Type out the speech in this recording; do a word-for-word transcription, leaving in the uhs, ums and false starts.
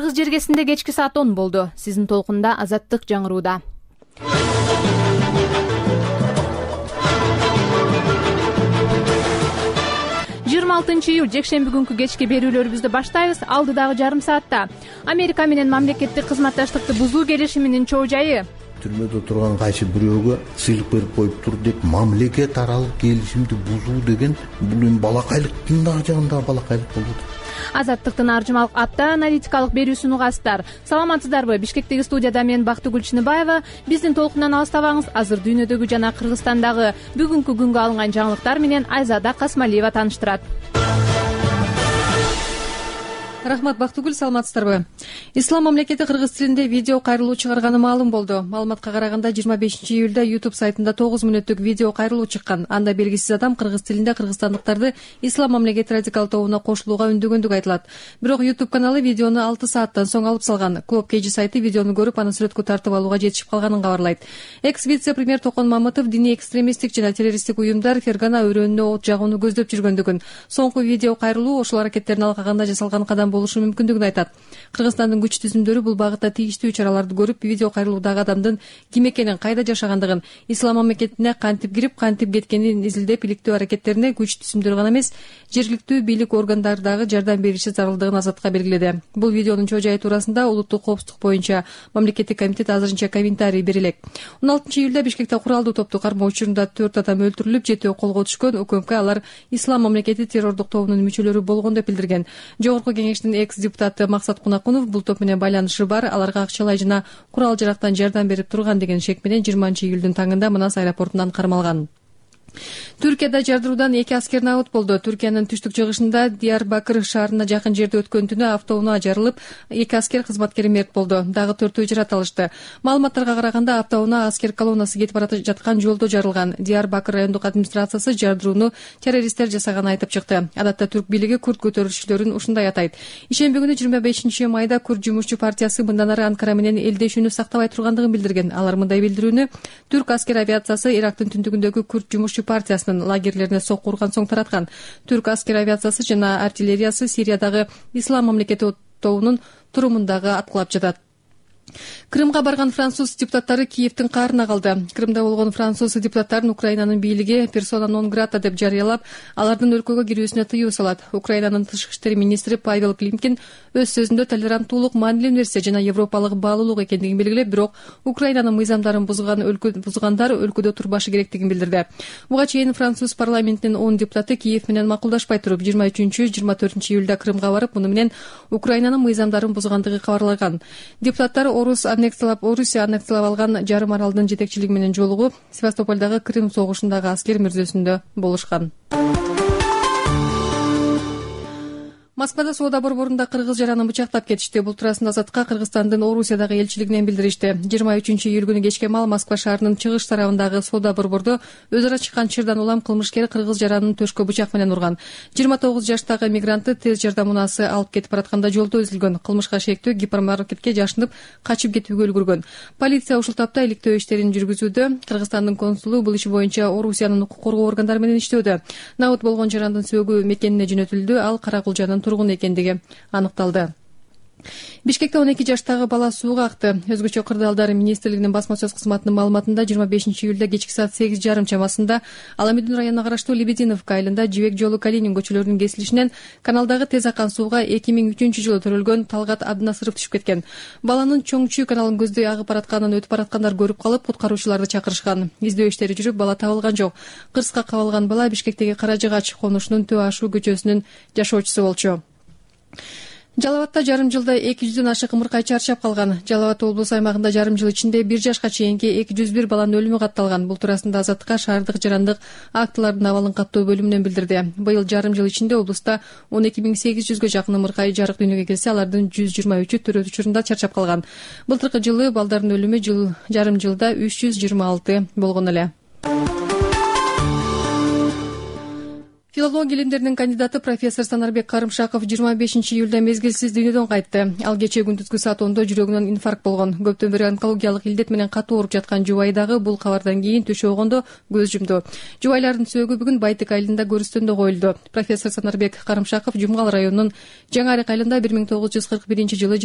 Кыргыз жергесинде кечки саат он болду. Сиздин толкунда Азаттык жаңырууда. жыйырма алтынчы июль жекшемби күнкү кечки берүүлөрүбүздү баштайбыз. Алдыдагы жарым саатта Америка менен мамлекеттик кызматташтыкты бузуу келишиминин чоо жайы. Түрмөдө турган кайсы бирөөгө сыйлык берип коюп тур деп мамлекет аралык келишимди бузуу деген бул эми балакайлыктын дагы жагында балакайлык болот. Азаттыктын аржымалык апта аналитикалык берүүсүн угасыздар. Саламатсыздарбы? Бишкектеги студияда мен Бактыгүл Чыныбаева. Биздин толкундан алыстабаңыз. Азыр дүйнөдөгү жана Кыргызстандагы бүгүнкү күнгө алынган жаңылыктар менен Айзада Касмалиева тааныштырат. Рахмат, Бактыгүл, саламатсыздарбы? Ислам мамлекети кыргыз тилинде видео кайрылуу чыгарганы маалым болду. Маалыматка караганда жыйырма бешинчи июлда YouTube сайтында тогуз мүнөттүк видео кайрылуу чыккан. Анда белгисиз адам кыргыз тилинде кыргызстандыктарды Ислам мамлекети радикал тобуна кошулууга үндөгөндүгү айтылат. Бирок YouTube каналы видеону алты сааттан соң алып салган. Клуб Кежи сайты видеону көрүп, аны сүрөткө тартып алууга жетишип калганын кабарлайт. Экс вице-премьер Токон Мамытов диний экстремисттик жана террористтик уюмдар Фергана өрөөнүнө от жагууну көздөп жүргөндүгүн, соңку видео кайрылуу ошол аракеттерин алгаганда жасалган кадам болушу мүмкүндүгүн айтат. Кыргызстандын күч түзүмдөрү бул багытта тийиштүү чараларды көрүп, видео кайрылуудагы адамдын ким экенин, кайда жашагандыгын, Ислам мамлекетине кантип кирип, кантип кеткенин изилдеп, иликтөө аракеттерине күч түзүмдөрү гана эмес, жергиликтүү бийлик органдары дагы жардам бериши зарылдыгын Азатка белгиледи. Бул видеонун чоо жайы туурасында улуттук коопсуздук боюнча мамлекеттик комитет азырынча комментарий бере элек. он алтынчы июлда Бишкекте куралдуу топту кармоо учурунда төрт адам өлтүрүлүп, жетөө колго түшкөн. УКМК алар Ислам мамлекети террордук тобунун мүчөлөрү болгон деп билдирген. Жогорку кеңештин экс депутаты Максат Кунакунов бул топ менен байланышы бар, аларга акчалай жана курал жарактан жардам берип турган деген шек менен жыйырманчы июлдун таңында Манас аэропортунан кармалган. Түркияда жардыруудан эки аскер набыт болду. Түркиянын түштүк чыгышында Диярбакыр шаарына жакын жерде өткөн түнү автоунаа жарылып, эки аскер кызматкери мерт болду. Дагы төртөө жарат алышты. Маалыматтарга караганда автоунаа аскер колоннасы кетип бара жаткан жолдо жарылган. Диярбакыр райондук администрациясы жардырууну террористтер жасаганын айтып чыкты. Адатта түрк бийлиги курд көтөрүүчүлөрүн ушундай атайт. Ишемби күнү жыйырма бешинчи майда Курд жумушчу партиясы мындан ары Анкара менен элдешүүнү сактабай тургандыгын билдирген. Алар мындай билдирүүнү түрк аскер авиациясы Ирактын түндүгүндөгү Курд жумушчу партиясынын лагерлерине сокку урган соң тараткан. Түрк аскер авиациясы жана артиллериясы Сириядагы Ислам мамлекети тобунун турумундагы аткылап жатат. Крымга барган француз депутаттары Киевдин каарына калды. Крымда болгон француз депутаттарын Украинанын бийлиги персона нон грата деп жарыялап, алардын өлкөгө кирүүсүнө тыюу салат. Украинанын тышкы иштер министри Павел Климкин өз сөзүндө толеранттуулук маанилүү нерсе жана европалык баалуулук экендигин белгилеп, бирок Украинанын мыйзамдарын бузган өлкө бузгандар өлкөдө турбашы керектигин билдирди. Буга чейин француз парламентинин он депутаты Киев менен макулдашпай туруп, жыйырма үчүнчү жыйырма төртүнчү июлда Крымга барып, муну менен Украинанын мыйзамдарын бузгандыгы кабарлаган. Депутаттар Орус аннексиялап, Орусия аннексиялап алган жарым аралдын жетекчилиги менен жолугуп, Севастополдагы Крым согушундагы аскер мүрзөсүндө болушкан. Москвада соода борборунда кыргыз жаранын бычактап кетишти. Бул туурасында Азатка Кыргызстандын Орусиядагы элчилигинен билдиришти. жыйырма үчүнчү июль күнү кечке мал Москва шаарынын чыгыш тарабындагы соода борбордо өз ара чыккан чырдан улам кылмышкер кыргыз жаранын төшкө бычак менен урган. жыйырма тогуз жаштагы мигрантты тез жардам унаасы алып кетип баратканда жолдо үзүлгөн. Кылмышка шектүү гипермаркетке жашынып качып кетүүгө үлгүргөн. Полиция ушул тапта иликтөө иштерин жүргүзүүдө. Кыргызстандын консулу бул иш боюнча Орусиянын укук коргоо органдары менен иштөөдө. Набыт болгон жарандын сөөгү мекенине жөнөтүлдү. Ал Каракулжанын тургуну экендиги аныкталды. Бишкекте он эки жаштагы бала сууга акты. Өзгөчө кырдаалдар министрлигинин басма сөз кызматынын маалыматында жыйырма бешинчи июлда кечки саат сегиз жарым чамасында Аламүдүн районуна караштуу Лебединовка айылында Жибек жолу Калинин көчөлөрүнүн кесилишинен каналдагы тез аккан сууга эки миң үчүнчү жылы төрөлгөн Талгат Абдынасыров түшүп кеткен. Баланын Чоңчу каналын көздөй агып баратканын өтүп бараткандар көрүп калып, куткаруучуларды чакырышкан. Издөө иштери жүрүп, бала табылган жок. Кырска кабылган бала Бишкектеги Кара Жыгач конушунун Төө Ашуу көчөсүнүн жашоочусу болчу. Жалал Абадта жарым жылда эки жүздөн ашык ымыркай чарчап калган. Жалал Абад облусу аймагында жарым жыл ичинде бир жашка чейинки эки жүз бир баланын өлүмү катталган. Бул туурасында Азатка шаардык жарандык актылардын абалын каттоо бөлүмүнөн билдирди. Быйыл жарым жыл ичинде облуста он эки миң сегиз жүзгө жакын ымыркай жарык дүйнөгө келсе, алардын жүз жыйырма үчү төрөт учурунда чарчап калган. Былтыркы жылы балдардын өлүмү жыл жарым жылда үч жүз жыйырма алты болгон эле. Филология илимдеринин кандидаты профессор Санарбек Карымшаков жыйырма бешинчи июлда мезгилсиз дүйнөдөн кайтты. Ал кечээ күндүзгү саат ондо жүрөгүнөн инфаркт болгон. Көптөн бери онкологиялык илдет менен катуу ооруп жаткан жубайы дагы бул кабардан кийин түшө огондо көз жумду. Жубайлардын сөөгү бүгүн Байтык айылында көрүстөндө коюлду. Профессор Санарбек Карымшаков Жумгал районунун Жаңы Арык айылында бир миң тогуз жүз кырк биринчи жылы